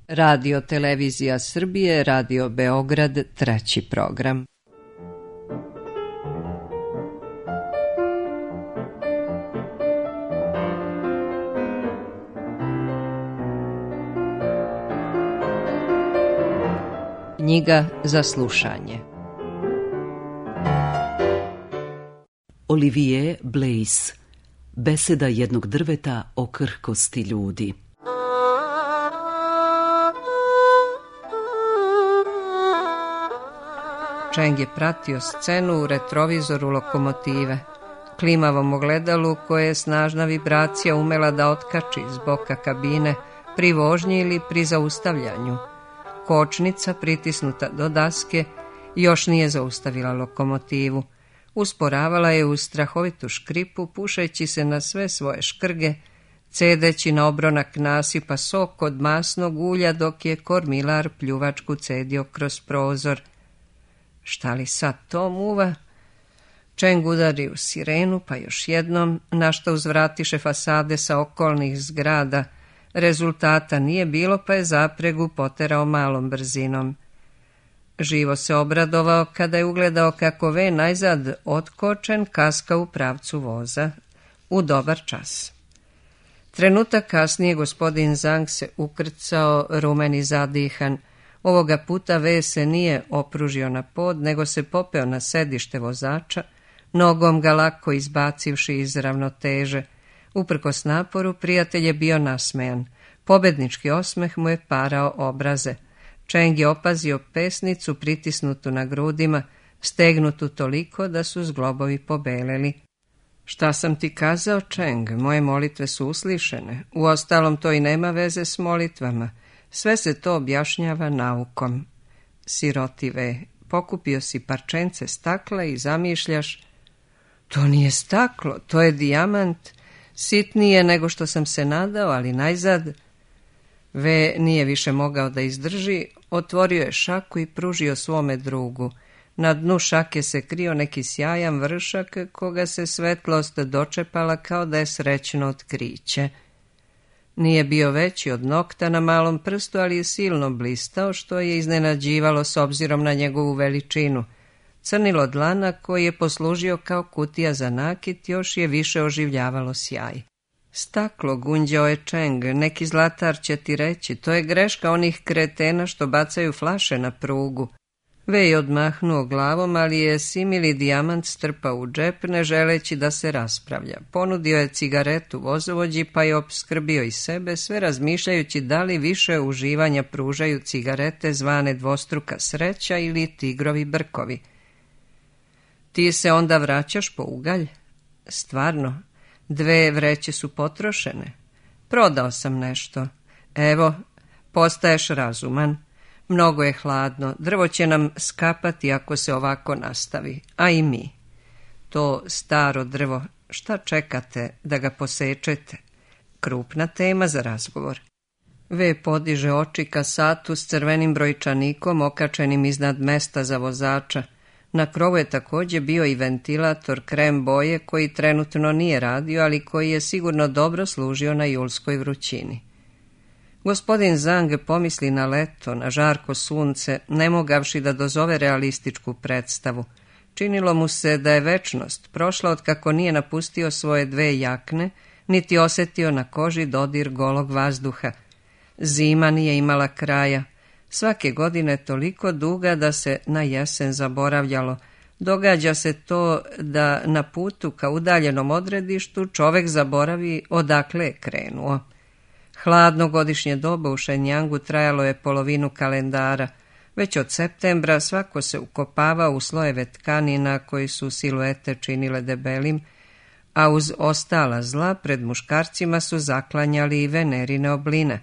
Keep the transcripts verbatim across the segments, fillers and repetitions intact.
Radio Televizija Srbije, Radio Beograd, treći program. Knjiga za slušanje. Olivier Blaise. Beseda jednog drveta o krhkosti ljudi. Čeng je pratio scenu u retrovizoru lokomotive, klimavom ogledalu koje je snažna vibracija umela da otkači iz boka kabine pri vožnji ili pri zaustavljanju. Kočnica, pritisnuta do daske, još nije zaustavila lokomotivu. Usporavala je uz strahovitu škripu, pušeći se na sve svoje škrge, cedeći na obronak nasipa sok od masnog ulja, dok je kormilar pljuvačku cedio kroz prozor. Šta li sad to muva? Čeng udari u sirenu, pa još jednom, na što uzvratiše fasade sa okolnih zgrada. Rezultata nije bilo, pa je zapregu poterao malom brzinom. Živo se obradovao kada je ugledao kako ve najzad otkočen kaska u pravcu voza. U dobar čas. Trenutak kasnije gospodin Zhang se ukrcao, rumen i zadihan. Ovoga puta ve se nije opružio na pod, nego se popeo na sedište vozača, nogom ga lako izbacivši iz ravnoteže. Uprkos naporu, prijatelj je bio nasmejan. Pobednički osmeh mu je parao obraze. Čeng je opazio pesnicu pritisnutu na grudima, stegnutu toliko da su zglobovi pobeleli. Šta sam ti kazao, Čeng? Moje molitve su uslišene. Uostalom, to i nema veze s molitvama. Sve se to objašnjava naukom. Siroti ve, pokupio si parčence stakla i zamišljaš. To nije staklo, to je dijamant. Sitnije nego što sam se nadao, ali najzad. Ve nije više mogao da izdrži, otvorio je šaku i pružio svome drugu. Na dnu šake se krio neki sjajan vršak, koga se svetlost dočepala kao da je srećno otkriće. Nije bio veći od nokta na malom prstu, ali je silno blistao, što je iznenađivalo s obzirom na njegovu veličinu. Crnilo dlana, koji je poslužio kao kutija za nakit, još je više oživljavalo sjaj. Staklo, gunđao je Čeng, neki zlatar će ti reći, to je greška onih kretena što bacaju flaše na prugu. Ve je odmahnuo glavom, ali je simili dijamant strpao u džep, ne želeći da se raspravlja. Ponudio je cigaretu vozovođi, pa je opskrbio i sebe, sve razmišljajući da li više uživanja pružaju cigarete zvane dvostruka sreća ili tigrovi brkovi. Ti se onda vraćaš po ugalj? Stvarno, dve vreće su potrošene. Prodao sam nešto. Evo, postaješ razuman. Mnogo je hladno, drvo će nam skapati ako se ovako nastavi, a i mi. To staro drvo, šta čekate da ga posečete? Krupna tema za razgovor. Ve podiže oči ka satu s crvenim brojčanikom okačenim iznad mesta za vozača. Na krovu je također bio i ventilator krem boje koji trenutno nije radio, ali koji je sigurno dobro služio na julskoj vrućini. Gospodin Zhang pomisli na leto, na žarko sunce, ne mogavši da dozove realističku predstavu. Činilo mu se da je večnost prošla otkako nije napustio svoje dve jakne, niti osjetio na koži dodir golog vazduha. Zima nije imala kraja. Svake godine toliko duga da se na jesen zaboravljalo. Događa se to da na putu ka udaljenom odredištu čovek zaboravi odakle je krenuo. Hladno godišnje doba u Šenjangu trajalo je polovinu kalendara. Već od septembra svako se ukopavao u slojeve tkanina koji su siluete činile debelim, a uz ostala zla pred muškarcima su zaklanjali i venerine obline.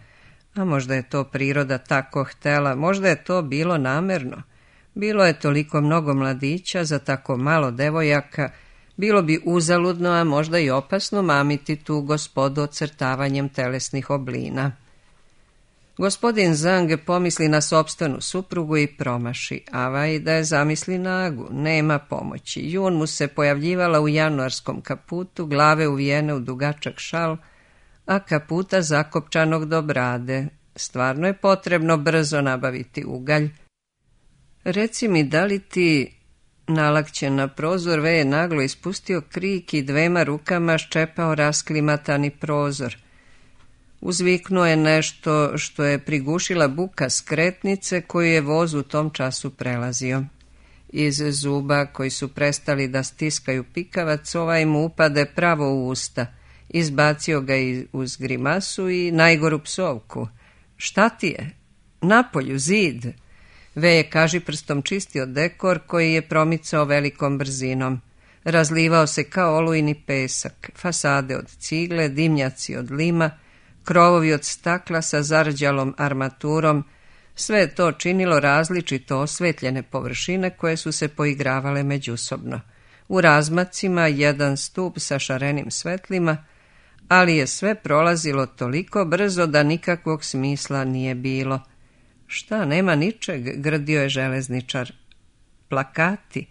A možda je to priroda tako htela, možda je to bilo namerno. Bilo je toliko mnogo mladića za tako malo devojaka, bilo bi uzaludno, a možda i opasno mamiti tu gospodu ocrtavanjem telesnih oblina. Gospodin Zhang pomisli na sopstvenu suprugu i promaši, avaj da je zamisli nagu, nema pomoći. Jun mu se pojavljivala u januarskom kaputu, glave uvijene u dugačak šal, a kaputa zakopčanog do brade. Stvarno je potrebno brzo nabaviti ugalj. Reci mi, da li ti... Nalakćen na prozor, Ve je naglo ispustio krik i dvema rukama ščepao rasklimatani prozor. Uzviknuo je nešto što je prigušila buka skretnice koju je voz u tom času prelazio. Iz zuba koji su prestali da stiskaju pikavac, ovaj mu upade pravo u usta. Izbacio ga i uz grimasu i najgoru psovku. Šta ti je? Napolju, zid! Ve je kažiprstom čistio dekor koji je promicao velikom brzinom. Razlivao se kao olujni pesak, fasade od cigle, dimnjaci od lima, krovovi od stakla sa zarđalom armaturom. Sve je to činilo različito osvetljene površine koje su se poigravale međusobno. U razmacima jedan stup sa šarenim svetlima, ali je sve prolazilo toliko brzo da nikakvog smisla nije bilo. Šta, nema ničeg, grdio je železničar. Plakati.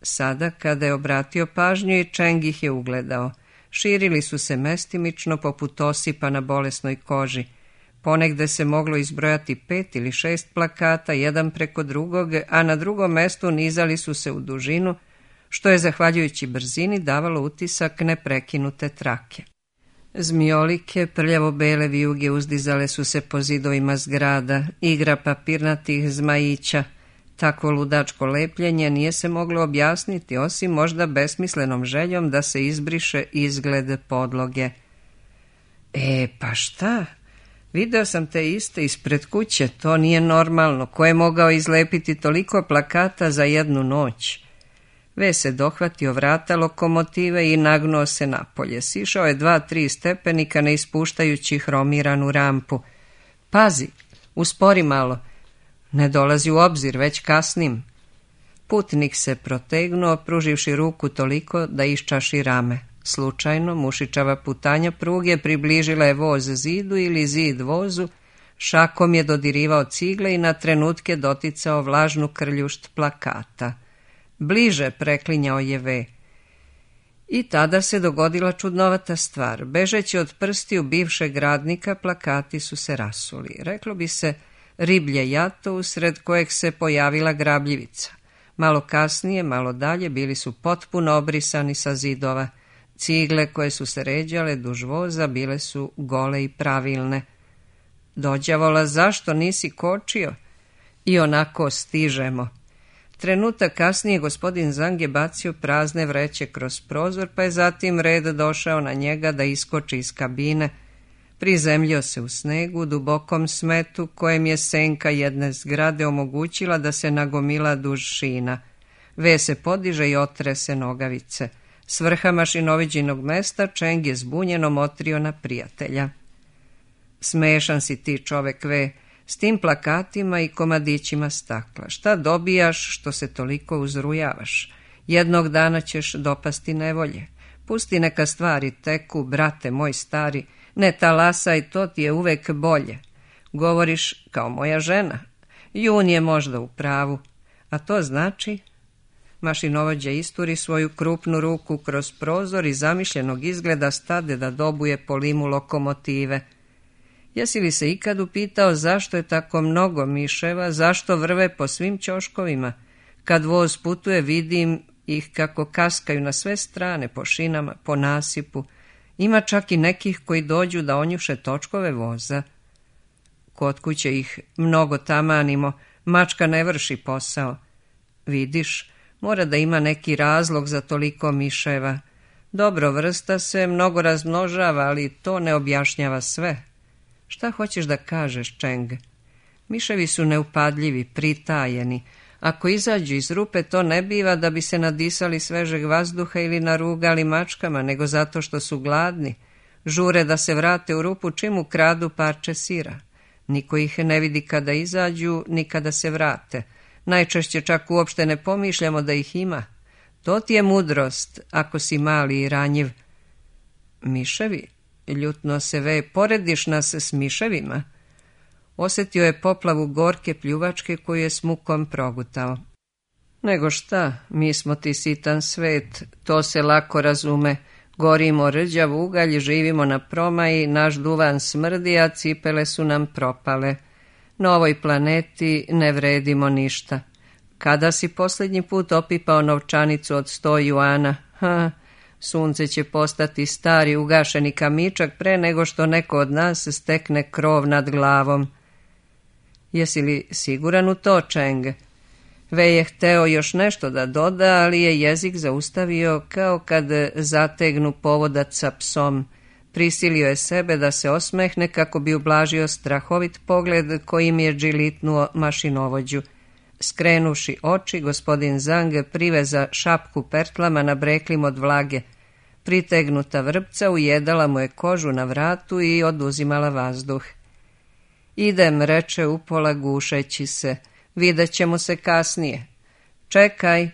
Sada, kada je obratio pažnju, i Čeng ih je ugledao. Širili su se mestimično poput osipa na bolesnoj koži. Ponegde se moglo izbrojati pet ili šest plakata, jedan preko drugog, a na drugom mestu nizali su se u dužinu, što je, zahvaljujući brzini, davalo utisak neprekinute trake. Zmiolike, prljavo-bele vijuge uzdizale su se po zidovima zgrada, igra papirnatih zmajića. Takvo ludačko lepljenje nije se moglo objasniti, osim možda besmislenom željom da se izbriše izgled podloge. E, pa šta? Video sam te iste ispred kuće, to nije normalno. Ko je mogao izlepiti toliko plakata za jednu noć? Ve se dohvatio vrata lokomotive i nagnuo se napolje. Sišao je dva, tri stepenika ne ispuštajući hromiranu rampu. Pazi, uspori malo. Ne dolazi u obzir, već kasnim. Putnik se protegnuo, pruživši ruku toliko da iščaši rame. Slučajno, mušičava putanja pruge približila je voz zidu ili zid vozu, šakom je dodirivao cigle i na trenutke doticao vlažnu krljušt plakata. Bliže, preklinjao je Ve. I tada se dogodila čudnovata stvar. Bežeći od prstiju bivšeg radnika, plakati su se rasuli. Reklo bi se riblje jato usred kojeg se pojavila grabljivica. Malo kasnije, malo dalje, bili su potpuno obrisani sa zidova. Cigle koje su se ređale duž voza bile su gole i pravilne. Dođavola, zašto nisi kočio? I onako stižemo. Trenutak kasnije gospodin Zang je bacio prazne vreće kroz prozor, pa je zatim red došao na njega da iskoči iz kabine. Prizemljio se u snegu, dubokom smetu, kojem je senka jedne zgrade omogućila da se nagomila duž šina. Ve se podiže i otrese nogavice. S vrha mašinoviđinog mesta Čeng je zbunjeno motrio na prijatelja. Smešan si ti, čovek, Ve, s tim plakatima i komadićima stakla. Šta dobijaš što se toliko uzrujavaš? Jednog dana ćeš dopasti nevolje. Pusti neka stvari teku, brate moj stari, ne talasaj, to ti je uvek bolje. Govoriš kao moja žena. Jun je možda u pravu. A to znači... Mašinovođa isturi svoju krupnu ruku kroz prozor i zamišljenog izgleda stade da dobuje po limu lokomotive. Jesi li se ikad upitao zašto je tako mnogo miševa, zašto vrve po svim ćoškovima? Kad voz putuje, vidim ih kako kaskaju na sve strane, po šinama, po nasipu. Ima čak i nekih koji dođu da onjuše točkove voza. Kod kuće ih mnogo tamanimo, mačka ne vrši posao. Vidiš, mora da ima neki razlog za toliko miševa. Dobro, vrsta se mnogo razmnožava, ali to ne objašnjava sve. Šta hoćeš da kažeš, Čeng? Miševi su neupadljivi, pritajeni. Ako izađu iz rupe, to ne biva da bi se nadisali svežeg vazduha ili narugali mačkama, nego zato što su gladni. Žure da se vrate u rupu čim ukradu parče sira. Niko ih ne vidi kada izađu, ni kada se vrate. Najčešće čak uopšte ne pomišljamo da ih ima. To ti je mudrost, ako si mali i ranjiv. Miševi? Ljutno se Ve, porediš nas s miševima? Osjetio je poplavu gorke pljuvačke koju je s mukom progutao. Nego šta, mi smo ti sitan svet, to se lako razume. Gorimo rđav ugalj, živimo na promaji, naš duvan smrdi, a cipele su nam propale. Na ovoj planeti ne vredimo ništa. Kada si posljednji put opipao novčanicu od sto juana? Ha, sunce će postati stari ugašeni kamičak pre nego što neko od nas stekne krov nad glavom. Jesi li siguran u to, Čeng? Ve je hteo još nešto da doda, ali je jezik zaustavio kao kad zategnu povodac sa psom. Prisilio je sebe da se osmehne kako bi ublažio strahovit pogled kojim je džilitnuo mašinovođu. Skrenuši oči, gospodin Zang priveza šapku pertlama na breklim od vlage. Pritegnuta vrpca ujedala mu je kožu na vratu i oduzimala vazduh. Idem, reče upola gušeći se. Vidjet ćemo se kasnije. Čekaj.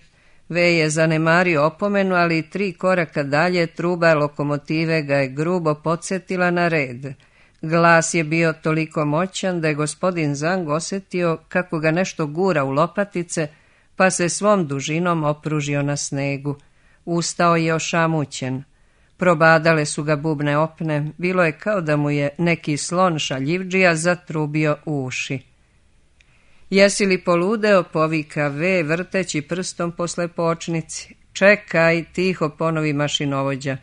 Ve je zanemario opomenu, ali tri koraka dalje truba lokomotive ga je grubo podsjetila na red. Glas je bio toliko moćan da je gospodin Zang osjetio kako ga nešto gura u lopatice, pa se svom dužinom opružio na snegu. Ustao je ošamućen. Probadale su ga bubne opne, bilo je kao da mu je neki slon šaljivdžija zatrubio u uši. Jesi li poludeo, povika Ve, vrteći prstom po slepočnici. Čekaj, tiho ponovi mašinovođa.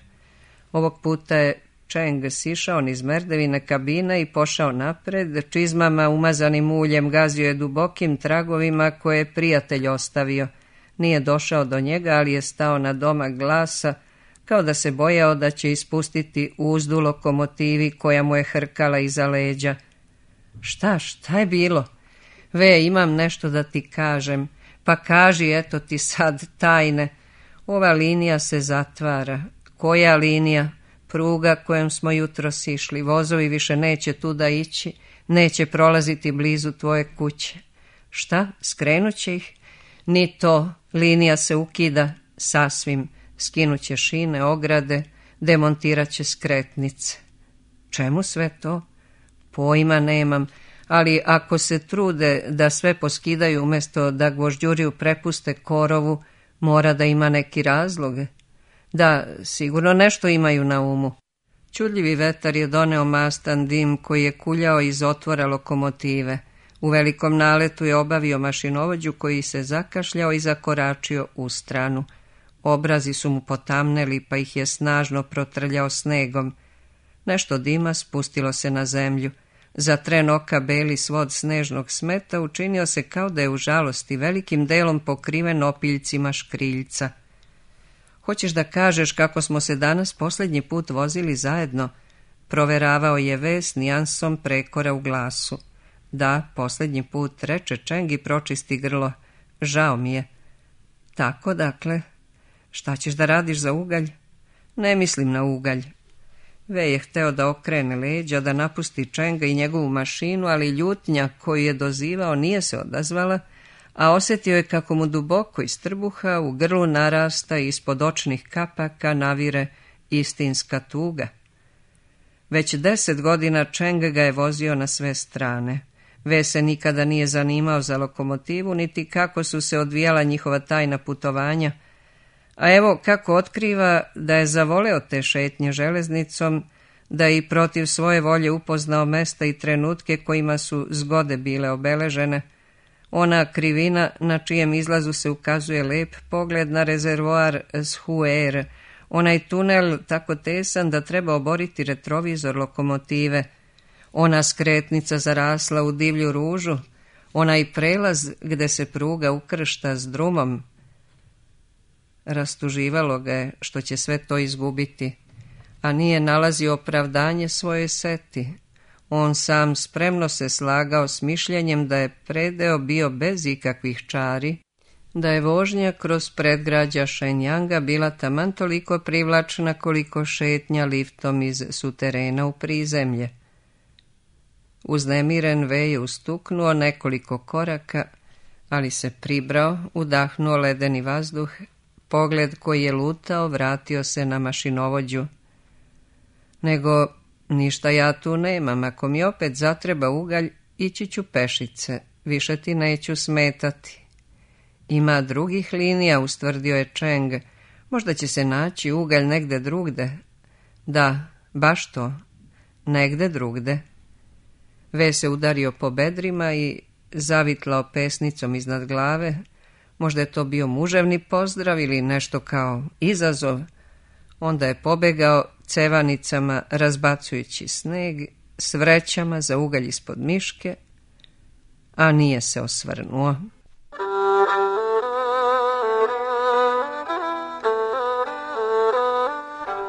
Ovog puta je Čeng sišao niz merdevine kabine i pošao napred, čizmama umazanim uljem gazio je dubokim tragovima koje je prijatelj ostavio. Nije došao do njega, ali je stao na domak glasa, kao da se bojao da će ispustiti uzdu lokomotivi koja mu je hrkala iza leđa. Šta, šta je bilo? Ve, imam nešto da ti kažem. Pa kaži, eto ti sad tajne. Ova linija se zatvara. Koja linija? Pruga kojom smo jutros išli. Vozovi više neće tuda ići, neće prolaziti blizu tvoje kuće. Šta, skrenut će ih? Ni to, linija se ukida sasvim. Skinut će šine, ograde, demontirat će skretnice. Čemu sve to? Pojma nemam, ali ako se trude da sve poskidaju umjesto da gvožđuriju prepuste korovu, mora da ima neki razlog. Da, sigurno nešto imaju na umu. Čudljivi vetar je doneo mastan dim koji je kuljao iz otvora lokomotive. U velikom naletu je obavio mašinovođu koji se zakašljao i zakoračio u stranu. Obrazi su mu potamneli pa ih je snažno protrljao snegom. Nešto dima spustilo se na zemlju. Za tren oka beli svod snežnog smeta učinio se kao da je u žalosti velikim delom pokriven opiljcima škriljca. Hoćeš da kažeš kako smo se danas posljednji put vozili zajedno? Proveravao je Ve s nijansom prekora u glasu. Da, posljednji put, reče Čeng i pročisti grlo. Žao mi je. Tako, dakle. Šta ćeš da radiš za ugalj? Ne mislim na ugalj. Ve je hteo da okrene leđa, da napusti Čenga i njegovu mašinu, ali ljutnja koju je dozivao nije se odazvala, a osjetio je kako mu duboko iz trbuha u grlu narasta i ispod očnih kapaka navire istinska tuga. Već deset godina Čeng ga je vozio na sve strane. Ve se nikada nije zanimao za lokomotivu, niti kako su se odvijala njihova tajna putovanja, a evo kako otkriva da je zavoleo te šetnje železnicom, da je i protiv svoje volje upoznao mesta i trenutke kojima su zgode bile obeležene. Ona krivina na čijem izlazu se ukazuje lep pogled na rezervoar Shuer, onaj tunel tako tesan da treba oboriti retrovizor lokomotive, ona skretnica zarasla u divlju ružu, onaj prelaz gde se pruga ukršta s drumom. Rastuživalo ga je što će sve to izgubiti, a nije nalazio opravdanje svoje seti. On sam spremno se slagao s mišljenjem da je predeo bio bez ikakvih čari, da je vožnja kroz predgrađa Šenjanga bila taman toliko privlačna koliko šetnja liftom iz suterena u prizemlje. Uznemiren Ve je ustuknuo nekoliko koraka, ali se pribrao, udahnuo ledeni vazduh. Pogled koji je lutao vratio se na mašinovođu. Nego, ništa ja tu nemam, ako mi opet zatreba ugalj, ići ću pešice, više ti neću smetati. Ima drugih linija, ustvrdio je Čeng. Možda će se naći ugalj negde drugde. Da, baš to, negde drugde. Ve se udario po bedrima i zavitlao pesnicom iznad glave. Možda je to bio muževni pozdrav ili nešto kao izazov. Onda je pobegao cevanicama razbacujući sneg s vrećama za ugalj ispod miške, a nije se osvrnuo.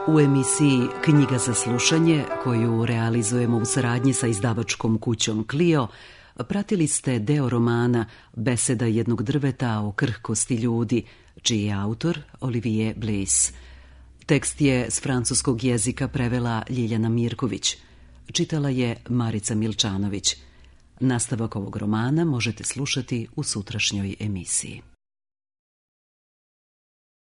U emisiji Knjiga za slušanje, koju realizujemo u saradnji sa izdavačkom kućom Clio, pratili ste deo romana Beseda jednog drveta o krhkosti ljudi, čiji je autor Olivier Bleys. Tekst je s francuskog jezika prevela Ljiljana Mirković. Čitala je Marica Milčanović. Nastavak ovog romana možete slušati u sutrašnjoj emisiji.